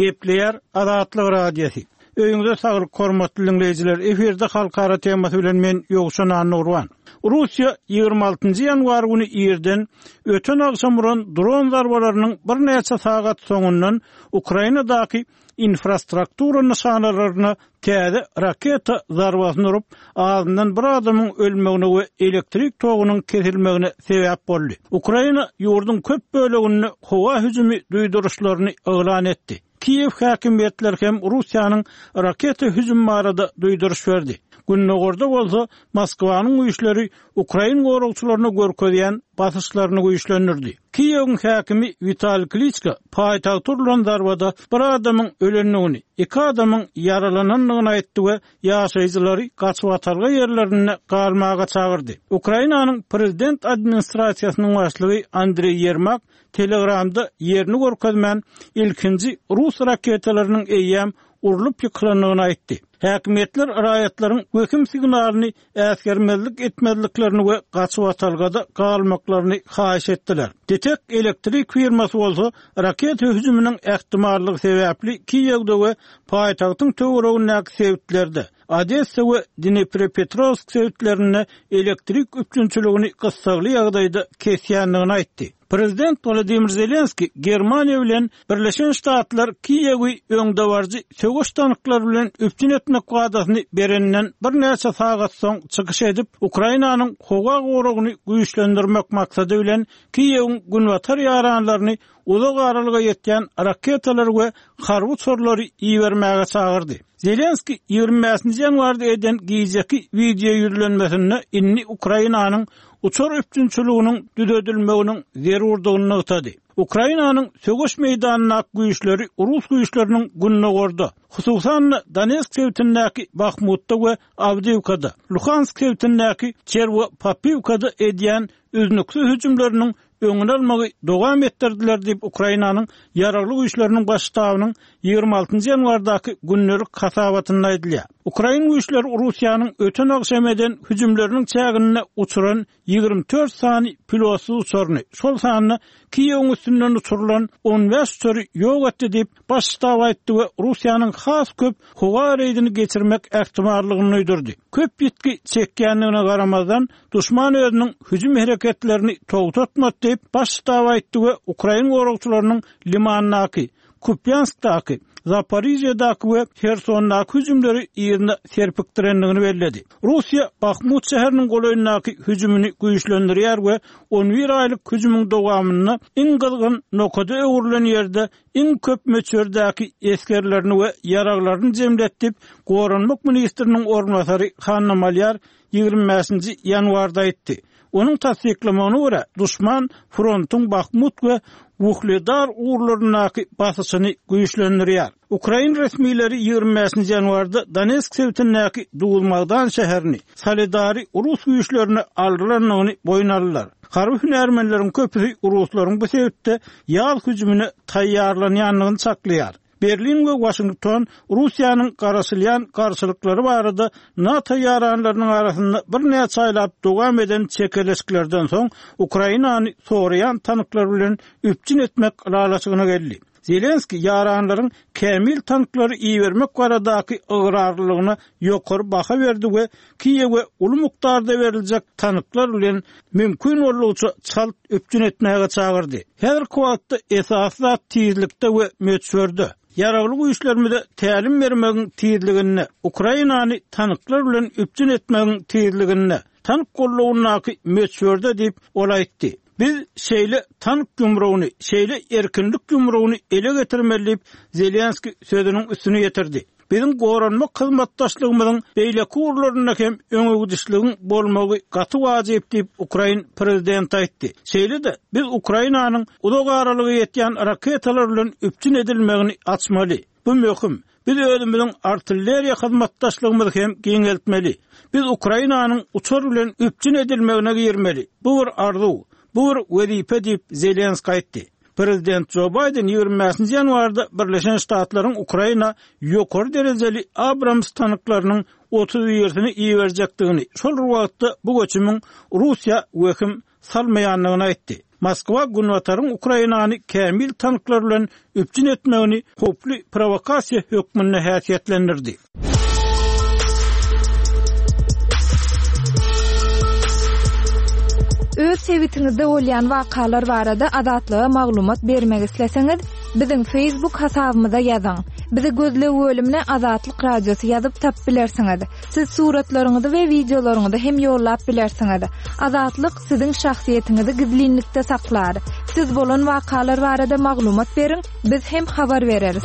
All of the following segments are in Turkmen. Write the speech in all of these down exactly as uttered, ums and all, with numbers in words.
Gepleýär Azatlyk Radiosy. Öýüňize saglyk, hormatly diňleýjiler. Efirde halkara temasy bilen men Ýowşan Annagurban. Russiýa ýigrimi altynjy ýanwar güni irden öten agşam uran dron zarbalarynyň birnäçe sagat soňundan Ukrainadaky infrastruktura nyşanalaryna täze raketa zarbasyny urup, azyndan bir adamyň ölmegine we elektrik togunyň kesilmegine sebäp boldy. Ukraina ýurduň köp böleginde howa hüjümi duýduryşlaryny yglan etdi. Kiýew häkimiýetleri hem Russiýanyň raketa hüjümi barada duýduryş berdi. Gündogarda bolsa Moskwanyň güýçleri ukrain goragçylaryna görkezýän basyşlaryny güýçlendirdi. Kiýewiň häkimi Witaliý Kliçko paýtagta urlan zarbada bir adamyň ölendigini, iki adamyň ýaralanandygyny aýtdy we ýaşaýjylary gaçybatalga ýerlerinde galmaga çagyrdy. Ukrainanyň prezident administrasiýasynyň başlygy Andreý Ýermak Telegramda ýerini görkezmän, ilkinji rus raketalarynyň eýýäm urlup ýykylandygyny aýtdy. Häkimiýetler raýatlaryň wehim signalyny äsgermezlik etmezliklerini we gaçybatalgada galmaklaryny haýyş etdiler. DTEK elektrik firmasy bolsa raketa hüjüminiň ähtimallygy sebäpli Kiýewde we paýtagtyň töweregindäki sebitlerde, Odessa we Dnepropetrowsk sebitlerinde elektrik üpjünçiligini gyssagly ýagdaýda kesýändigini aýtdy. Prezident Wladimir Zelenskiý Germaniýa bilen Birleşen Ştatlar Kiýewi öňdebaryjy söweş tanklary bilen üpjün etmek wadasyny bereninden birnäçe sagat soň çykyş edip, Ukrainanyň howa goragyny güýçlendirmek maksady bilen Kiýewiň günbatar ýaranlaryny uzak aralyga ýetýän raketalary we harby uçarlary ibermäge çagyrdy. Zelenskiý ýigrimi bäşinji ýanwarda eden gijeki wideo ýüzlenmesinde indi Ukrainanyň uçar üpjünçiliginiň düzedilmeginiň zerurdygyny nygtady. Ukrainanyň söweş meýdanyndaky güýçleri rus güýçleriniň gündogarda, hususan-da Donetsk sebitindäki Bahmutda we Awdiýewkada, Luhansk sebitindäki Çerwo-Papiwkada edýän üznüksiz hüjümleriniň öňüni almagy dowam etdirdiler diýip, Ukrainanyň Ýaragly Güýçleriniň Baş ştabynyň ýigrimi altynjy ýanwardaky gündelik hasabatynda aýdylýar. Ukrain güýçleri Russiýanyň öten agşam eden hüjümleriniň çäginde uçuran ýigrimi dört sany pilotsyz uçaryny, şol sanda Kiýewiň üstünden uçurylan on bäş uçary ýok etdi diýip, Baş ştab aýtdy we Russiýanyň has köp howa reýdini geçirmek ähtimallygyny duýdurdy. Köp ýitgi çekýändigine garamazdan, duşman özüniň hüjüm hereketlerini togtatmady diýip, Baş ştab aýtdy we ukrain goragçylarynyň Limandaky, Kupýanskdaky, Zaporižýadaky we Hersondaky hüjümleri yzyna serpikdirendigini belledi. Russiýa Bahmut şäheriniň golaýyndaky hüjümini güýçlendirýär we on bir aýlyk hüjümiň dowamynda iň gyzgyn nokada öwrülen ýerde iň köp möçberdäki esgerlerini we ýaraglaryny jemledi diýip, Goranmak ministriniň orunbasary Hanna Malýar ýigrimi bäşinji ýanwarda aýtdy. Onuň tassyklamagyna görä, duşman frontuň Bahmut we Wuhledar ugurlaryndaky basyşyny güýçlendirýär. Ukrain resmileri ýigrimi bäşinji ýanwarda Donetsk sebitindäki Duzmagdan şäherini, Soledary rus güýçlerine aldyrandygyny boýun aldylar. Harby hünärmenleriň köpüsi ruslaryň bu sebitde ýaz hüjümine taýýarlanýandygyny çaklaýar. Berlin we Waşington Russiýanyň garaşylýan garşylyklary barada NATO ýaranlarynyň arasynda birnäçe aýlap dowam eden çekeleşiklerden soň Ukrainany soraýan tanklar bilen üpjün etmek ylalaşygyna geldi. Zelenskiý ýaranlaryň kämil tanklary ibermek baradaky ygrarlylygyna ýokary baha berdi we Kiýewe uly mukdarda beriljek tanklar bilen mümkin boldugyça çalt üpjün etmäge çagyrdy. Häzirki wagtda esasy zat tizlikde we möçberde. Ýaragly güýçlerimize tälim bermegiň tizliginde, Ukrainany tanklar bilen üpjün etmegiň tizliginde, tank gollagyndaky möçberde diýip, ol aýtdy. Biz şeýle tank ýumrugyny, şeýle erkinlik ýumrugyny ele getirmeli diýip, Zelenskiý sözüniň üstüni ýetirdi. Biziň goranmak hyzmatdaşlygymyzyň beýleki ugurlarynda hem öňegidişligiň bolmagy gaty wajyp diýip, ukrain prezidenti aýtdy. Şeýle-de, biz Ukrainanyň uzak aralyga ýetýän raketalar bilen üpjün edilmegini açmaly. Bu möhüm. Biz özümiziň artilleriýa hyzmatdaşlygymyzy hem giňeltmeli. Biz Ukrainanyň uçar bilen üpjün edilmegine girmeli. Bu bir arzuw, bu bir wezipe diýip, Zelenskiý aýtdy. Prezident Jo Baýden ýigrimi bäşinji ýanwarda Birleşen Ştatlaryň Ukraina ýokary derejeli Abrams tanklarynyň otuz birisini iberjekdigini, şol bir wagtda bu göçümiň Russiýa wehim salmaýandygyny aýtdy. Moskwa Günbataryň Ukrainany kämil tanklar bilen üpjün etmegini howply prowokasiýa hökmünde häsiýetlendirdi. Öz sebitiňizde bolýan wakalar barada Azatlyga maglumat bermek isleseňiz, biziň Facebook hasabymyza ýazyň. Bizi gözleg bölümine Azatlyk Radiosy ýazyp tapyp bilersiňiz. Siz suratlaryňyzy we wideolaryňyzy hem ýollap bilersiňiz. Azatlyk siziň şahsyýetiňizi gizlinlikde saklar. Siz bolan wakalar barada maglumat beriň, biz hem habar bereris.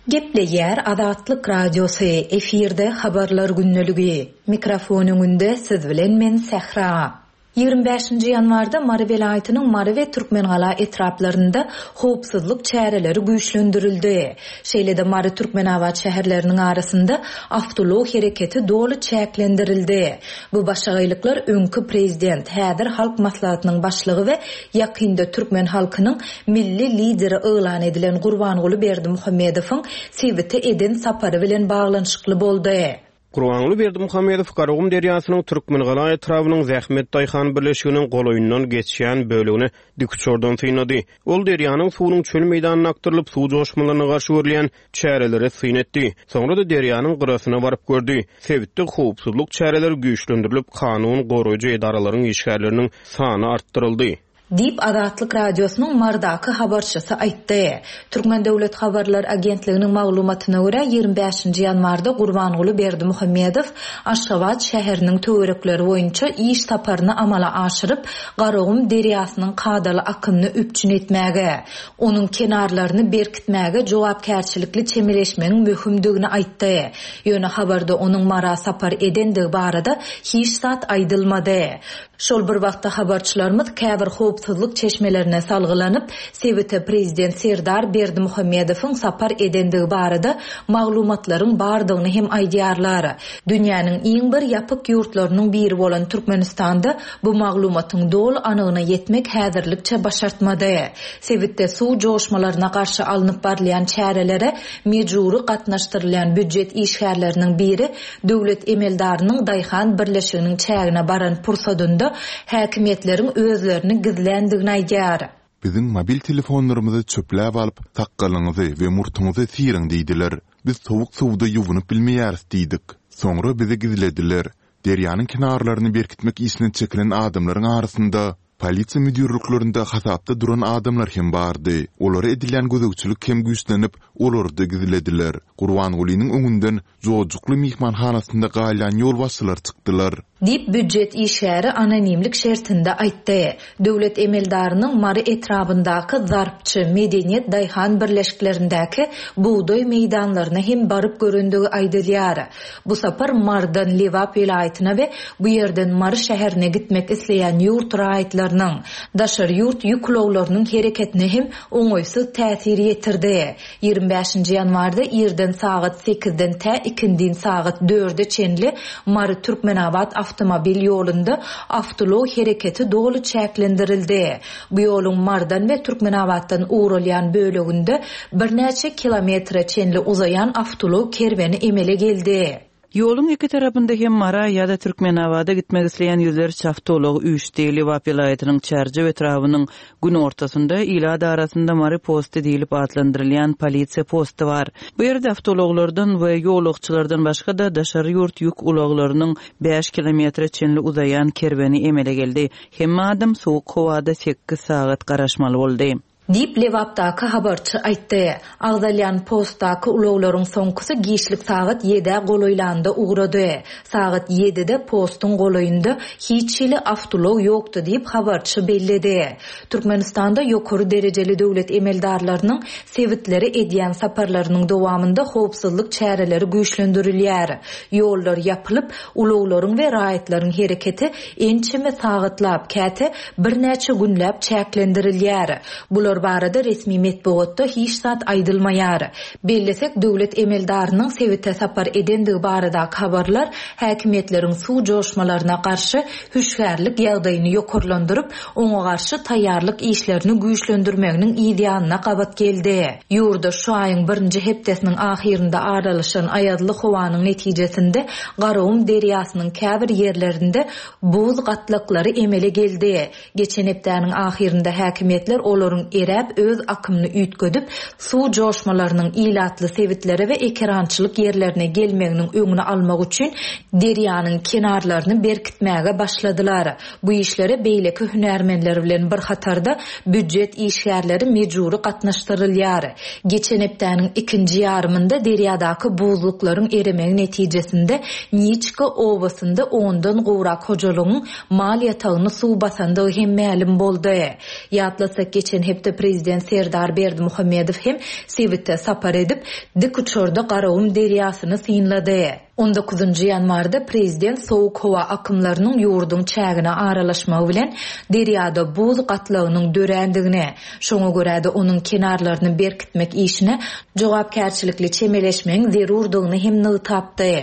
Gepleýär Azatlyk Radiosy, efirde habarlar gündeligi. Mikrofon öňünde siz bilen men Sähra. Ýigrimi bäşinji ýanwarda Mary welaýatynyň Mary we Türkmengala etraplarynda howpsuzlyk çäreleri güýçlendirildi. Şeýle-de Mary Türkmenabat şäherleriniň arasynda awtoulag hereketi doly çäklendirildi. Bu başagaýlyklar öňki prezident, häzir Halk Maslahatynyň başlygy we ýakynda türkmen halkynyň milli lideri yglan edilen Gurbanguly Berdimuhamedowyň sebite eden sapary bilen baglanyşykly boldy. Gurbanguly Berdimuhamedow Garagum derýasynyň Türkmengala etrabynyň Zähmet daýhan birleşiginiň golaýyndan geçýän bölegini dikuçardan synlady. Ol derýanyň suwunyň çöl meýdanyna akdyrylyp, suw joşmalaryna garşy görülýän çärelere syn etdi. Soňra-da derýanyň gyrasyna baryp gördi. Sebitde howpsuzlyk çäreleri güýçlendirilip, kanun goraýjy edaralaryň işgärleriniň sany artdyryldy. Diýip, Azatlyk Radiosynyň Mardaky habarçysy aýtdy. Türkmen Döwlet Habarlar Agentliginiň maglumatyna görä, ýigrimi bäşinji ýanwarda Gurbanguly Berdimuhamedow Aşgabat şäheriniň töwerekleri boýunça iş saparyny amala aşyryp, Garagum derýasynyň kadaly akymyny üpjün etmäge, onuň kenarlaryny berkitmäge jogapkärçilikli çemeleşmegiň möhümdigini aýtdy. Ýöne habarda onuň Mara sapar edendigi barada hiç zat aýdylmady. Şol bir wagtda habarçylarymyz käbir howpsuzlyk çeşmelerine salgylanyp, sebite prezident Serdar Berdimuhamedowyň sapar edendigi barada maglumatlaryň bardygyny hem aýdýarlar. Dünýäniň iň bir ýapyk ýurtlarynyň biri bolan Türkmenistanda bu maglumatyň doly anygyna ýetmek häzirlikçe başartmady. Sebitde suw joşmalaryna garşy alnyp barylýan çärelere mejbury gatnaşdyrylýan býujet işgärleriniň biri döwlet emeldarynyň daýhan birleşiginiň çägine baran pursadynda häkimiýetleriň özlerini gizländigini aýdýar. Biziň mobil telefonlarymyzy çöpläp alyp, sakgalyňyzy we murtuňyzy syryň diýdiler. Biz sowuk suwda ýuwunyp bilmeýäris diýdik. Soňra bizi gizlediler. Derýanyň kenarlaryny berkitmek işine çekilen adamlaryň arasynda polisiýa müdirliklerinde hasapda duran adamlar hem bardy. Olara edilýän gözegçilik hem güýçlenip, olary-da gizlediler. Gurbangulynyň öňünden Jojukly myhmanhanasynda galýan ýolbaşçylar çykdylar. Diýip, býujet işgäri anonimlik şertinde aýtdy. Döwlet emeldarynyň Mary etrabyndaky Zarpçy, Medeniýet daýhan birleşiklerindäki bugdaý meýdanlaryna hem baryp görendigi aýdylýar. Bu sapar Marydan Lebap welaýatyna we bu ýerden Mary şäherine gitmek isleýän ýurt raýatlarynyň, daşary ýurt ýük ulaglarynyň hereketine hem oňaýsyz täsir ýetirdi. Ýigrimi bäşinji ýanwarda irden sagat sekizden tä ikindin sagat dörde çenli Mary Türkmenabat awtomobil ýolunda awtoulag hereketi doly çäklendirildi. Bu ýoluň Marydan we Türkmenabatdan ugralýan böleginde birnäçe kilometre çenli uzaýan awtoulag kerweni emele geldi. Ýoluň iki tarapynda hem Mara ýa-da Türkmenabada gitmek isleýän ýüzlerçe awtoulag üýşdi. Lebap welaýatynyň Çärjew etrabynyň günortasynda ilat arasynda Mary posty diýlip atlandyrylýan polisiýa posty bar. Bu ýerde awtoulaglardan we ýolagçylardan başga-da daşary ýurt ýük ulaglarynyň bäş kilometre çenli uzaýan kerweni emele geldi. Hemme adam sowuk howada sekiz sagat garaşmaly boldy. Diýip, Lebapdaky habarçy aýtdy. Agzalýan postdaky ulaglaryň soňkusy giçlik sagat ýedä golaýlanda ugrady. Sagat ýedide postuň golaýynda hiç hili awtoulag ýokdy diýip, habarçy belledi. Türkmenistanda ýokary derejeli döwlet emeldarlarynyň sebitlere edýän saparlarynyň dowamynda howpsuzlyk çäreleri güýçlendirilýär. Ýollar ýapylyp, ulaglaryň we raýatlaryň hereketi ençeme sagatlap, käte birnäçe günläp çäklendirilýär. Bular Olar barada resmi metbugatda hiç zat aýdylmaýar. Bellesek, döwlet emeldarynyň sebite sapar edendigi baradaky habarlar häkimiýetleriň suw joşmalaryna garşy hüşgärlik ýagdaýyny ýokarlandyryp, oňa garşy taýýarlyk işlerini güýçlendirmeginiň ýanyna gabat geldi. Ýurda şu aýyň birinji hepdesiniň ahyrynda aralaşan aýazly howanyň netijesinde Garagum derýasynyň käbir ýerlerinde buz gatlaklary emele geldi. Geçen hepdäniň ahyrynda häkimiýetler olaryň eräp öz akymyny üýtgedip, suw joşmalarynyň ilatly sebitlere we ekerançylyk ýerlerine gelmeginiň öňüni almak üçin derýanyň kenarlaryny berkitmäge başladylar. Bu işlere beýleki hünärmenler bilen bir hatarda býujet işgärleri mejbury gatnaşdyrylýar. Geçen hepdäniň ikinji ýarymynda derýadaky buzluklaryň eremegi netijesinde Niçka obasynda ondan gowrak hojalygyň mal ýatagyny suw basandygy hem mälim boldy. Ýatlasak, geçen hepde prezident Serdar Berdimuhamedow hem sebite sapar edip, dik uçarda Garagum derýasyny synlady. On dokuzynjy ýanwarda prezident sowuk howa akymlarynyň ýurduň çägine aralaşmagy bilen derýada buz gatlagynyň dörändigini, şoňa görä-de onuň kenarlaryny berkitmek işine jogapkärçilikli çemeleşmegiň zerurdygyny hem nygtapdy.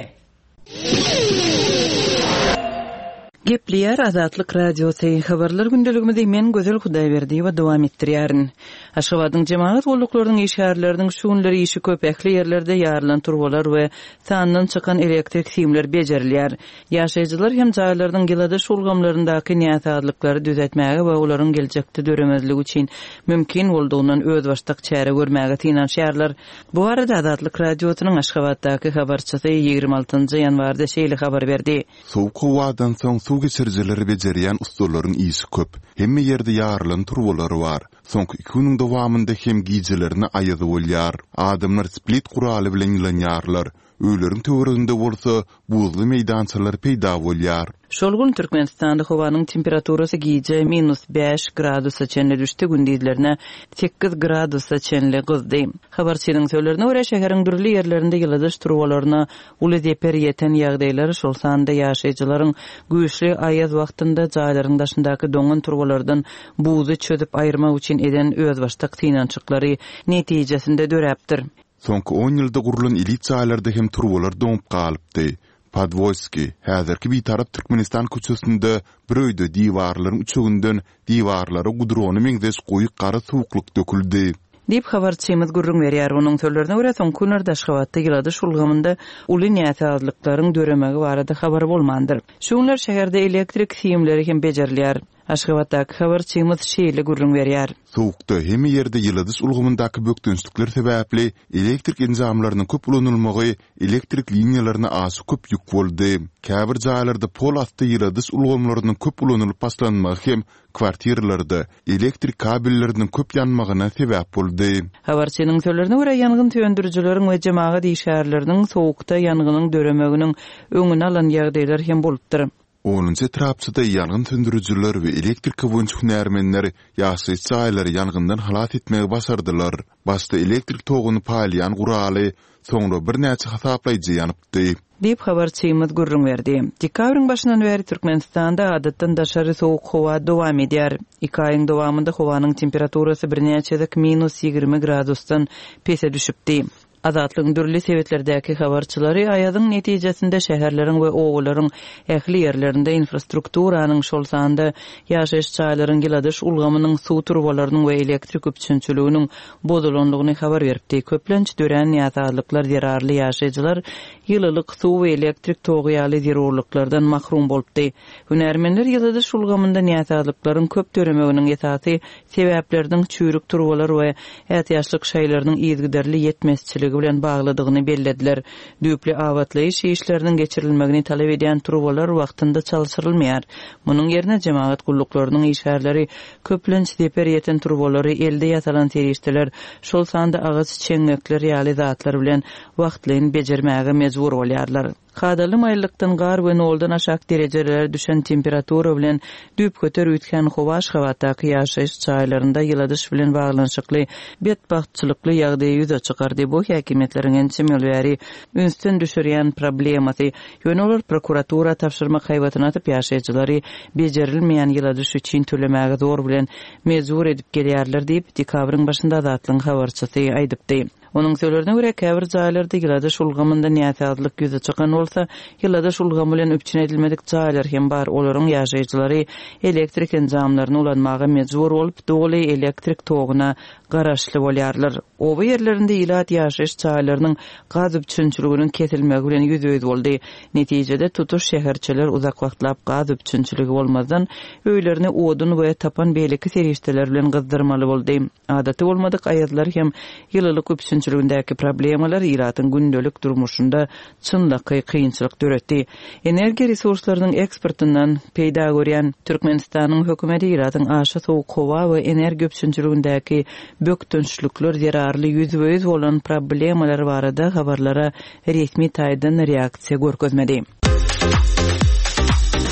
Gepleýär Azatlyk Radiosy. Habarlar gündeligimizi men Gözel Hudaýberdiýewa dowam etdirýärin. Aşgabadyň jemagat gulluklarynyň işgärleriniň şu günleri işi köp, ähli ýerlerde ýarylan turbalar we sandan çykan elektrik simler bejerilýär. Ýaşaýjylar hem jaýlarynyň ýyladyş ulgamlaryndaky näsazlyklary düzetmäge we olaryň geljekde döremezligi üçin mümkin boldugyndan özbaşdak çäre görmäge synanyşýarlar. Bu barada Azatlyk Radiosynyň Aşgabatdaky habarçysy ýigrimi altynjy ýanwarda şeýle habar berdi. Sowuk howadan soň suw geçirijileri bejerýän ustalaryň işi köp. Hemme ýerde ýarylan turbalar bar. Soňky iki günüň dowamynda hem gijelerine aýaz bolýar. Adamlar split guraly bilen ýylanýarlar. Öýleriň töwereginde bolsa buzly meýdançalar peýda bolýar. Şol gün Türkmenistanda howanyň temperaturasy gije minus bäş gradusa çenli düşdi, gündizlerine sekiz gradusa çenli gyzdy. Habarçynyň sözlerine görä, şäheriň dürli ýerlerinde ýyladyş turbalaryna uly zeper ýeten ýagdaýlar, şol sanda ýaşaýjylaryň güýçli aýaz wagtynda jaýlaryň daşyndaky doňan turbalardan buzy çözüp aýyrmak üçin eden özbaşdak synanyşyklary netijesinde döräpdir. Soňky on ýylda gurlan elit jaýlarda hem turbalar doňup galypdy. Podwolski, häzirki Bitarap Türkmenistan köçesinde bir öýde diwarlaryň üçeginden diwarlara gudrony meňzeş goýy gara suwuklyk döküldi. Diýip habarçymyz gürrüň berýär. Onuň sözlerine görä, soňky günlerde Aşgabatda ýyladyş ulgamynda uly näsazlyklaryň döremegi barada habar bolmandyr. Şu günler şäherde elektrik simleri hem bejerilýär. Aşgabatdaky habarçymyz şeýle gürrüň berýär. Sowukda hemme ýerde ýyladyş ulgamyndaky bökdençlikler sebäpli elektrik enjamlarynyň köp ulanylmagy elektrik liniýalaryna aşa köp ýük boldy. Käbir jaýlarda pol asty ýyladyş ulgamlarynyň köp ulanylyp başlanmagy hem kwartiralarda elektrik kabelleriniň köp ýanmagyna sebäp boldy. Habarçynyň sözlerine görä, ýangyn söndürijileriň we jemagat işgärleriniň sowukda ýangynyň döremeginiň öňüni alan ýagdaýlar hem bolupdyr. Onunjy etrapçada ýangyn söndürijiler we elektrika boýunça hünärmenler ýaşaýyş jaýlary ýangyndan halas etmegi başardylar. Başda elektrik toguny paýlaýan guraly, soňra birnäçe hasaplaýjy ýanypdy. Diýip habarçymyz gürrüň berdi. Dekabryň başyndan bäri Türkmenistanda adatdan daşary sowuk howa dowam edýär. Iki aýyň dowamynda howanyň temperaturasy birnäçe gezek minus ýigrimi gradusdan pese düşüpdi. Azatlygyň dürli sebetlerdäki habarçylary aýazyň netijesinde şäherleriň we obalaryň ähli ýerlerinde infrastrukturanyň, şol sanda ýaşaýyş jaýlaryň ýyladyş ulgamynyň, suw turbalarynyň we elektrik üpjünçiliginiň bozulandygyny habar beripdi. Köplenç dörän näsazlyklar zerarly ýaşaýjylar ýylylyk, suw we elektrik togy ýaly zerurlyklardan mahrum bolupdy. Hünärmenler ýyladyş ulgamynda näsazlyklaryň köp döremeginiň esasy sebäpleriniň çüýrük turbalar we ätiýaçlyk şaýlarynyň yzygiderli ýetmezçiligi bilen baglydygyny bellediler. Düýpli abatlaýyş işleriniň geçirilmegini talap edýän turbalar wagtynda çalşyrylmaýar. Munuň ýerine jemagat gulluklarynyň işgärleri köplenç zeper ýeten turbalary elde ýasalan serişdeler, şol sanda agaç çeňňekler ýaly zatlar bilen wagtlaýyn bejermäge mejbur bolýarlar. Kadaly maýyllykdan gar we noldan aşak derejelere düşen temperatura bilen düýpgöter üýtgän howa Aşgabatdaky ýaşaýyş jaýlarynda ýyladyş bilen baglanyşykly betbagtçylykly ýagdaýy ýüze çykardy. Bu häkimiýetleriň ençeme ýyl bäri ünsden düşürýän problemasy. Ýöne olar prokuratura tabşyrmak haýbatyny atyp, ýaşaýjylary bejerilmeýän ýyladyş üçin tölemäge zor bilen mejbur edip gelýärler diýip, dekabryň başynda Azatlygyň habarçysy aýdypdy. Onuň sözlerine görä, käbir jaýlarda ýyladyş ulgamynda näsazlyk ýüze çykan bolsa, ýyladyş ulgamy bilen üpjün edilmedik jaýlar hem bar. Olaryň ýaşaýjylary elektrik enjamlaryny ulanmaga mejbur bolup, doly elektrik toguna garaşly bolýarlar. Oba ýerlerinde ilat ýaşaýyş jaýlarynyň gaz üpjünçiliginiň kesilmegi bilen ýüzbe-ýüz boldy. Netijede tutuş şäherçeler uzak wagtlap gaz üpjünçiligi bolmazdan, öýlerini odun we tapan beýleki serişdeler bilen gyzdyrmaly boldy. Adaty bolmadyk aýazlar hem ýylylyk üpjünçiligindäki problemalar ilatyň gündelik durmuşynda çynlakaý kynçylyk döretdi. Energiýa resurslarynyň eksportyndan peýda görýän Türkmenistanyň hökümeti ilatyň aşa sowuk howa we energiýa üpjünçiligindäki bökdençlikler zerarly ýüzbe-ýüz bolan problemalar barada habarlara resmi taýdan reaksiýa görkezmedi.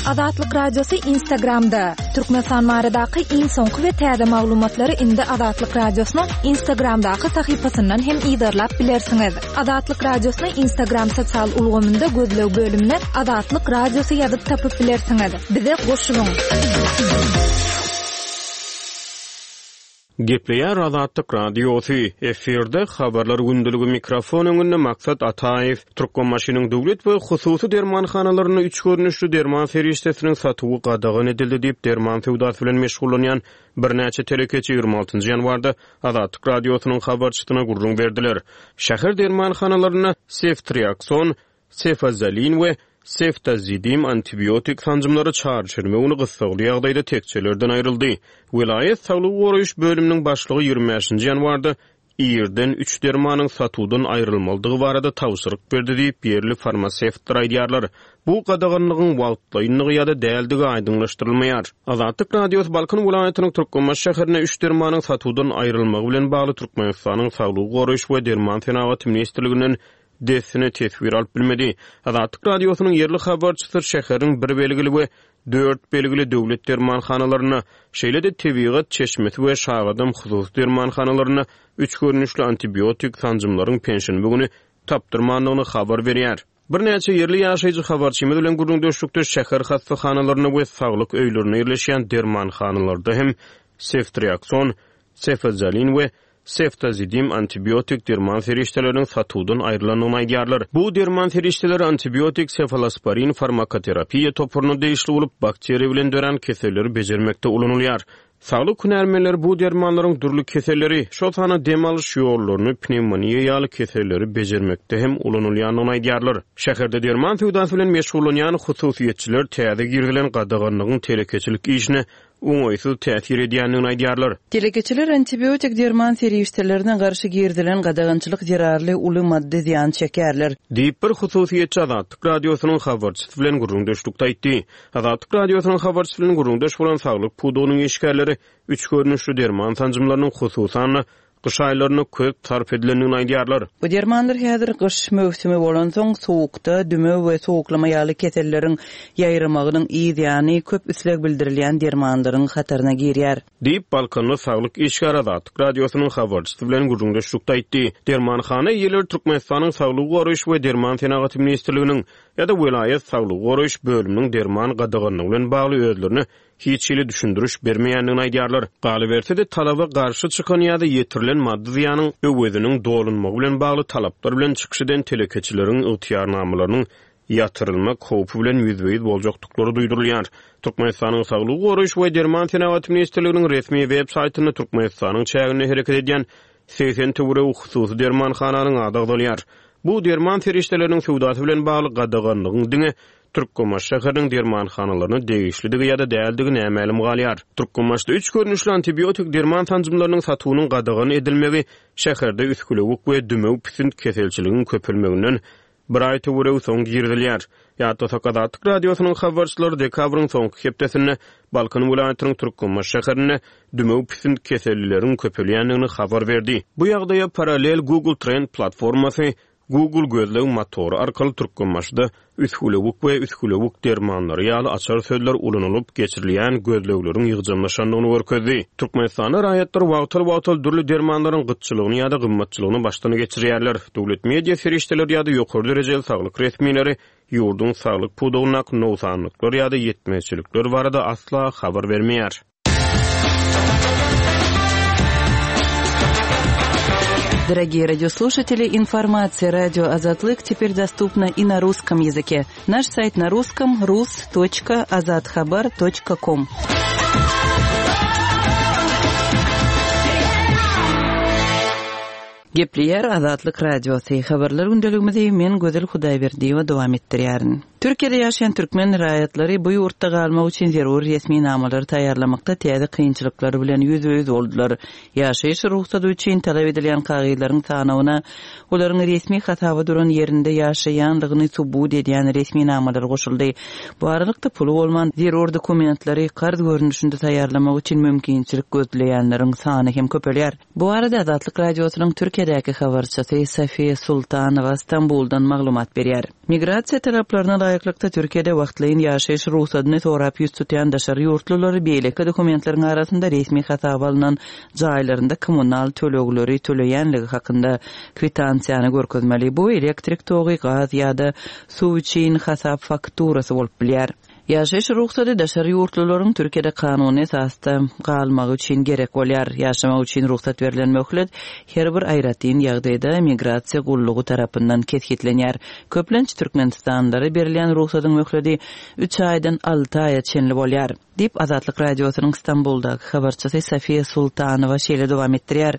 Azatlyk Radiosy Instagramda. Türkmenistan baradaky iň soňky we täze maglumatlary indi Azatlyk Radiosynyň Instagramdaky sahypasyndan hem yzarlap bilersiňiz. Azatlyk Radiosyny Instagram sosial ulgamynda gözleg bölümine Azatlyk Radiosy ýazyp tapyp bilersiňiz. Bize goşulyň. Gepleýär Azatlyk Radiosy. Efirde habarlar gündeligi mikrofon öňünde Maksat Ataýew. Türkmenbaşynyň döwlet we hususy dermanhanalarynda üç görnüşli derman serişdesiniň satuwy gadagan edildi diýip, derman söwdasy bilen meşgullanýan birnäçe telekeçi ýigrimi altynjy ýanwarda Azatlyk Radiosynyň habarçysyna gürrüň berdiler. Şäher dermanhanalarynda seftriakson, sefazolin we seftazidim antibiotik sanjymlary çarşenbe güni gyssagly ýagdaýda tekjelerden aýryldy. Welaýat saglygy goraýyş bölüminiň başlygy ýigrimi bäşinji ýanwarda irden üç dermanyň satuwdan aýrylmalydygy barada tabşyryk berdi diýip, ýerli farmasewtler aýdýarlar. Bu gadaganlygyň wagtlaýynlygy ýa-da däldigi aýdyňlaşdyrylmaýar. Azatlyk Radiosy Balkan welaýatynyň Türkmenbaşy şäherinde üç dermanyň satuwdan aýrylmagy bilen bagly Türkmenistanyň Saglygy goraýyş we derman senagaty ministrliginden dessine teswir alyp bilmedi. Azatlyk Radiosynyň ýerli habarçysy şäheriň bir belgili we dört belgili döwlet dermanhanalarynda, şeýle-de tebigat çeşmesi we Şagadam hususy dermanhanalarynda üç görnüşli antibiotik sanjymlaryň penşenbe güni tapdyrmandygyny habar berýär. Birnäçe ýerli ýaşaýjy habarçymyz bilen gürrüňdeşlikde şäher hassahanalarynda we saglyk öýlerinde ýerleşýän dermanhanalarda hem seftriakson, sefazolin we seftazidim antibiotik derman serişdeleriniň satuwdan aýrylandygyny aýdýarlar. Bu derman serişdeleri antibiotik sefalosporin farmakoterapiýa toparyna degişli bolup, bakteriýa bilen dörän keselleri bejermekde ulanylýar. Saglyk hünärmenleri bu dermanlaryň dürli keselleri, şol sanda dem alyş ýollaryny, pnewmoniýa ýaly keselleri bejermekde hem ulanylýandygyny aýdýarlar. Şäherde derman söwdasy bilen meşgullanýan hususyýetçiler täze girizilen gadaganlygyň telekeçilik işine oňaýsyz täsir edýändigini aýdýarlar. Telekeçiler antibiotik derman serişdelerine garşy girizilen gadagançylyk zerarly uly maddy zyýan çekerler. Diýip bir hususyýetçi Azatlyk Radiosynyň habarçysy bilen gürrüňdeşlikde aýtdy. Azatlyk Radiosynyň habarçysy bilen gürrüňdeş bolan saglyk pudagynyň işgärleri üç görnüşli derman sanjymlarynyň hususan-da gyş aýlarynda köp sarp edilendigini aýdýarlar. Bu dermanlar häzir gyş möwsümi bolansoň sowukda dümew we sowuklama ýaly keselleriň ýaýramagynyň yz ýany köp isleg bildirilýän dermanlaryň hataryna girýär. Diýip Balkanly saglyk işgäri Azatlyk Radiosynyň habarçysy bilen gürrüňdeşlikde aýtdy. Dermanhana eýeleri Türkmenistanyň Saglygy goraýyş we derman senagaty ministrliginiň ýa-da welaýat saglygy goraýyş bölüminiň derman gadaganlygy bilen bagly özlerine hiç hili düşündiriş bermeýändigini aýdýarlar. Galyberse-de talaba garşy çykan ýa-da ýetirilen maddy zyýanyň öweziniň dolunmagy bilen bagly talaplar bilen çykyş eden telekeçileriň ygtyýarnamalarynyň ýatyrylmak howpy bilen ýüzbe-ýüz boljakdyklary duýdurylýar. Türkmenistanyň Saglygy goraýyş we derman senagaty ministrliginiň resmi web saýtynda Türkmenistanyň çäginde hereket edýän segsen töweregi hususy dermanhananyň ady agzalýar. Bu derman serişdeleriniň söwdasy bilen bagly gadaganlygyň diňe Türkmenbaşy şäheriniň dermanhanalaryna degişlidigi ýa-da däldigi nämälim galýar. Türkmenbaşyda üç görnüşli antibiotik derman sanjymlarynyň satuwynyň gadagan edilmegi şäherde üsgülewük we dümew pisint keselçiligiň köpelmeginden bir aý töweregi soň girizilýär. Ýatlasak Azatlyk Radiosynyň habarçylary dekabryň soňky hepdesinde Balkan welaýatynyň Türkmenbaşy şäherinde dümew pisint kesellileriň köpelýändigini habar berdi. Bu ýagdaýa paralel Google Trend platformasy Google gözleg motory arkaly Türkmenbaşyda üsgülewük we üsgülewük dermanlary ýaly açar sözler ulanylyp geçirilýän gözlegleriň ýygjamlaşandygyny görkezdi. Türkmenistanda raýatlar wagtal-wagtal dürli dermanlaryň gytçylygyny ýa-da gymmatçylygyny başdan geçirýärler. Döwlet media serişdeleri ýa-da ýokary derejeli saglyk resmileri ýurduň saglyk pudagyndaky nogsanlyklar ýa-da ýetmezçilikler barada asla habar bermeýär. Дорогие радиослушатели, информация радио Азатлык теперь доступна и на русском языке. Наш сайт на русском rus.azathabar.com. Gepleýär Azatlyk Radiosy. Habarlar gündeligimizi men Gözel Hudaýberdiýewa dowam etdirýärin. Türkiýede ýaşaýan türkmen raýatlary bu ýurtda galmak üçin zerur resminamalary taýýarlamakda täze kynçylyklar bilen ýüzbe-ýüz boldular. Ýaşaýyş rugsady üçin talap edilýän kagyzlaryň sanawyna olaryň resmi hasaba duran ýerinde ýaşaýanlygyny subut edýän resminamalar goşuldy. Bu aralykda puly bolman zerur dokumentleri karz görnüşinde taýýarlamak üçin mümkinçilik gözleýänleriň sany hem köpelýär. Bu arada Azatlyk Radiosynyň Türkiýedäki habarçysy Safiýa Sultanowa Stambuldan maglumat berýär. Migrasiýa talaplaryna laýyklykda Türkiýede wagtlaýyn ýaşaýyş rugsadyny sorap ýüz tutýan daşary ýurtlulary beýleki dokumentleriň arasynda resmi hasaba alnan jaýlarynda kommunal tölegleri töleýänligi hakynda kwitansiýany görkezmeli. Bu elektrik togy, gaz ýa-da suw üçin hasap fakturasy bolup bilýär. Ýaşaýyş rugsady daşary ýurtlularyň Türkiýede kanuny esasda galmagy üçin gerek bolýar. Ýaşamak üçin rugsat berlen möhlet her bir aýratyn ýagdaýda migrasiýa gullugy tarapyndan kesgitlenýär. Köplenç Türkmenistanlylara berilýän rugsadyň möhleti üç aýdan alty aýa çenli bolýar. Diýip Azatlyk Radiosynyň Stambuldaky habarçysy Safiýa Sultanowa şeýle dowam etdirýär.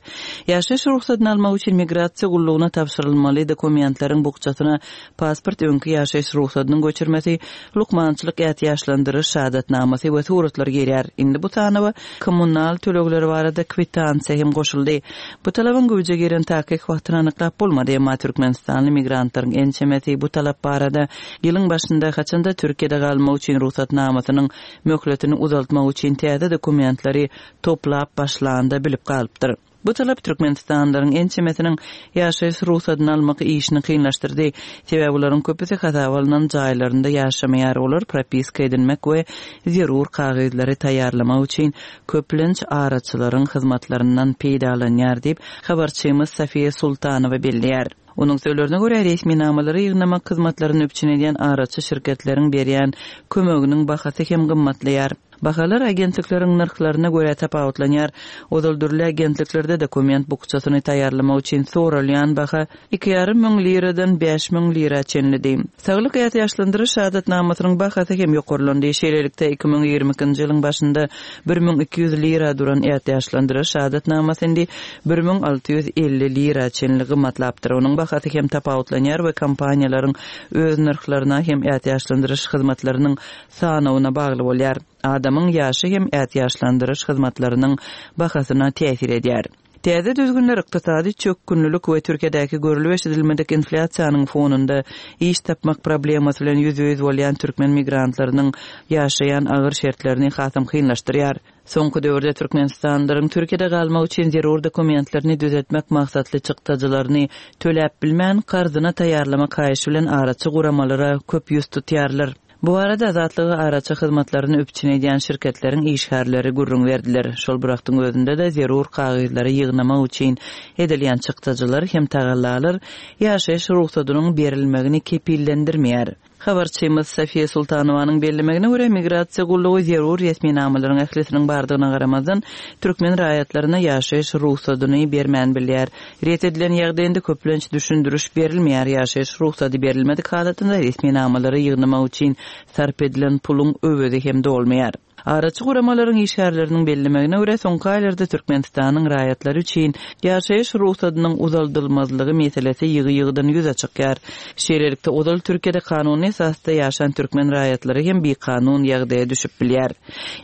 Ýaşaýyş rugsadyny almak üçin migrasiýa gullugyna tabşyrylmaly dokumentleriň bukjasyna pasport, öňki ýaşaýyş rugsadynyň göçürmesi, lukmançylyk ätiýaçlandyryş şahadatnamasy we suratlar girýär. Indi bu sanawa kommunal tölegleri barada kwitansiýa hem goşuldy. Bu talabyň güýje giren takyk wagtyny anyklap bolmady, emma Türkmenistanly migrantlaryň ençemesi bu talap barada ýylyň başynda haçanda Türkiýede galmak üçin rugsatnamasynyň möhletini uzaltmak üçin täze dokumentleri toplap başlanda bilip galypdyr. Bu talap Türkmenistanlylaryň ençemesiniň ýaşaýyş rugsadyny almak işini kynlaşdyrdy. Sebäbi olaryň köpüsi hasaba alnan jaýlarynda ýaşamaýar. Olar propiska edinmek we zerur kagyzlary taýýarlamak üçin köplenç araçylaryň hyzmatlaryndan peýdalanýar diýip habarçymyz Safiýa Sultanowa belleýär. Onuň sözlerine görä resminamalary ýygnamak hyzmatlaryny üpjün edýän araçy şirketleriň berýän kömeginiň bahasy hem gymmatlaýar. Bahalar agentlikleriň nyrhlaryna görä tapawutlanýar. Ozal dürli agentliklerde dokument bukjasyny taýýarlamak üçin soralýan baha iki ýarym müň liradan bäş müň lira çenlidi. Saglyk ätiýaçlandyryş şahadatnamasynyň bahasy hem ýokarlandy. Şeýlelikde iki müň ýigrimi ikinji ýylyň başynda bir müň iki ýüz lira duran ätiýaçlandyryş şahadatnamasy indi bir müň alty ýüz elli lira çenli gymmatlapdyr. Onuň bahasy hem tapawutlanýar we kompaniýalaryň öz nyrhlaryna hem ätiýaçlandyryş hyzmatlarynyň sanawyna bagly bolýar. Adamyň ýaşy hem ätiýaçlandyryş hyzmatlarynyň bahasyna täsir edýär. Täze düzgünler ykdysady çökgünlülük we Türkiýedäki görülip eşidilmedik inflýasiýanyň fonunda iş tapmak problemasy bilen ýüzbe-ýüz bolýan türkmen migrantlarynyň ýaşaýan agyr şertlerini hasam kynlaşdyrýar. Soňky döwürde Türkmenistanlylaryň Türkiýede galmak üçin zerur dokumentlerini düzetmek maksatly çykdajylaryny töläp bilmän karzyna taýýarlamak haýyşy bilen araçy guramalara köp ýüz tutýarlar. Bu arada Azatlygy araçy hyzmatlaryny üpjün edýän şirketleriň işgärleri gürrüň berdiler. Şol bir wagtyň özünde de zerur kagyzlary ýygnamak üçin edilýän çykdajylar hem tagallalar ýaşaýyş rugsadynyň berilmegini kepillendirmeýär. Habarçymyz Safiýa Sultanowanyň bellemegine görä migrasiýa gullugy zerur resminamalaryň ählisiniň bardygyna garamazdan türkmen raýatlaryna ýaşaýyş rugsadyny bermän bilýär. Ret edilen ýagdaýynda köplenç düşündiriş berilmeýär. Ýaşaýyş rugsady berilmedik halatynda resminamalary ýygnamak üçin sarp edilen puluň öwezi hem dolmaýar. Araçy guramalaryň işgärleriniň bellemegine görä soňky aýlarda Türkmenistanyň raýatlary üçin ýaşaýyş rugsadynyň uzaldylmazlygy meselesi ýygy-ýygydan ýüze çykýar. Şeýlelikde ozal Türkiýede kanuny esasda ýaşan türkmen raýatlary hem bikanun ýagdaýa düşüp bilýär.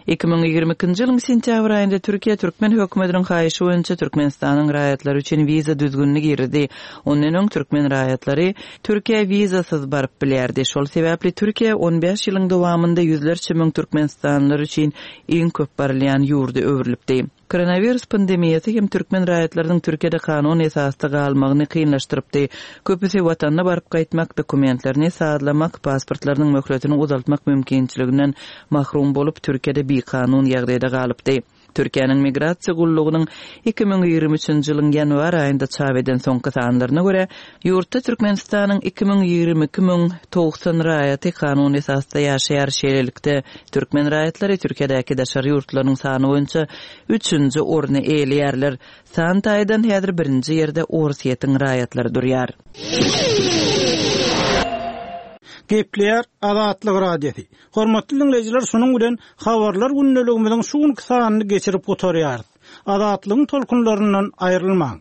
Iki müň ýigrimi ikinji ýylyň sentýabr aýynda Türkiýe türkmen hökümetiniň haýyşy boýunça Türkmenistanyň raýatlary üçin wiza düzgünini girdi. Ondan öň türkmen raýatlary Türkiýe wizasyz baryp bilýärdi. Şol sebäpli Türkiýe on bäş ýylyň dowamynda ýüzlerçe müň türkmenistanlylar üçin iň köp barylýan ýurda öwrülipdi. Koronawirus pandemiýasy hem türkmen raýatlarynyň Türkiýede kanun esasda galmagyny kynlaşdyrypdy. Köpüsi watanyna baryp gaýtmak, dokumentlerini sazlamak, pasportlarynyň möhletini uzaltmak mümkinçiliginden mahrum bolup, Türkiýede bikanun ýagdaýda galypdy. Türkiýäniň Migrasiýa gullugynyň iki müň ýigrimi üçünji ýylyň ýanwar aýynda çap eden soňky sanlaryna görä, ýurtda Türkmenistanyň iki müň ýigrimi iki müň togsan raýaty kanun esasda ýaşaýar. Şeýlelikde, türkmen raýatlary Türkiýedäki daşary ýurtlaryň sany boýunça üçünji orny eýeleýärler. San taýdan häzir birinji ýerde Orsýetiň raýatlary durýar. Gepleýär Azatlyk Radiosy. Hormatly diňleýjiler, şunuň bilen habarlar gündeligimiziň şu günki sanyny geçirip gutarýarys. Azatlygyň tolkunlaryndan aýrylmaň.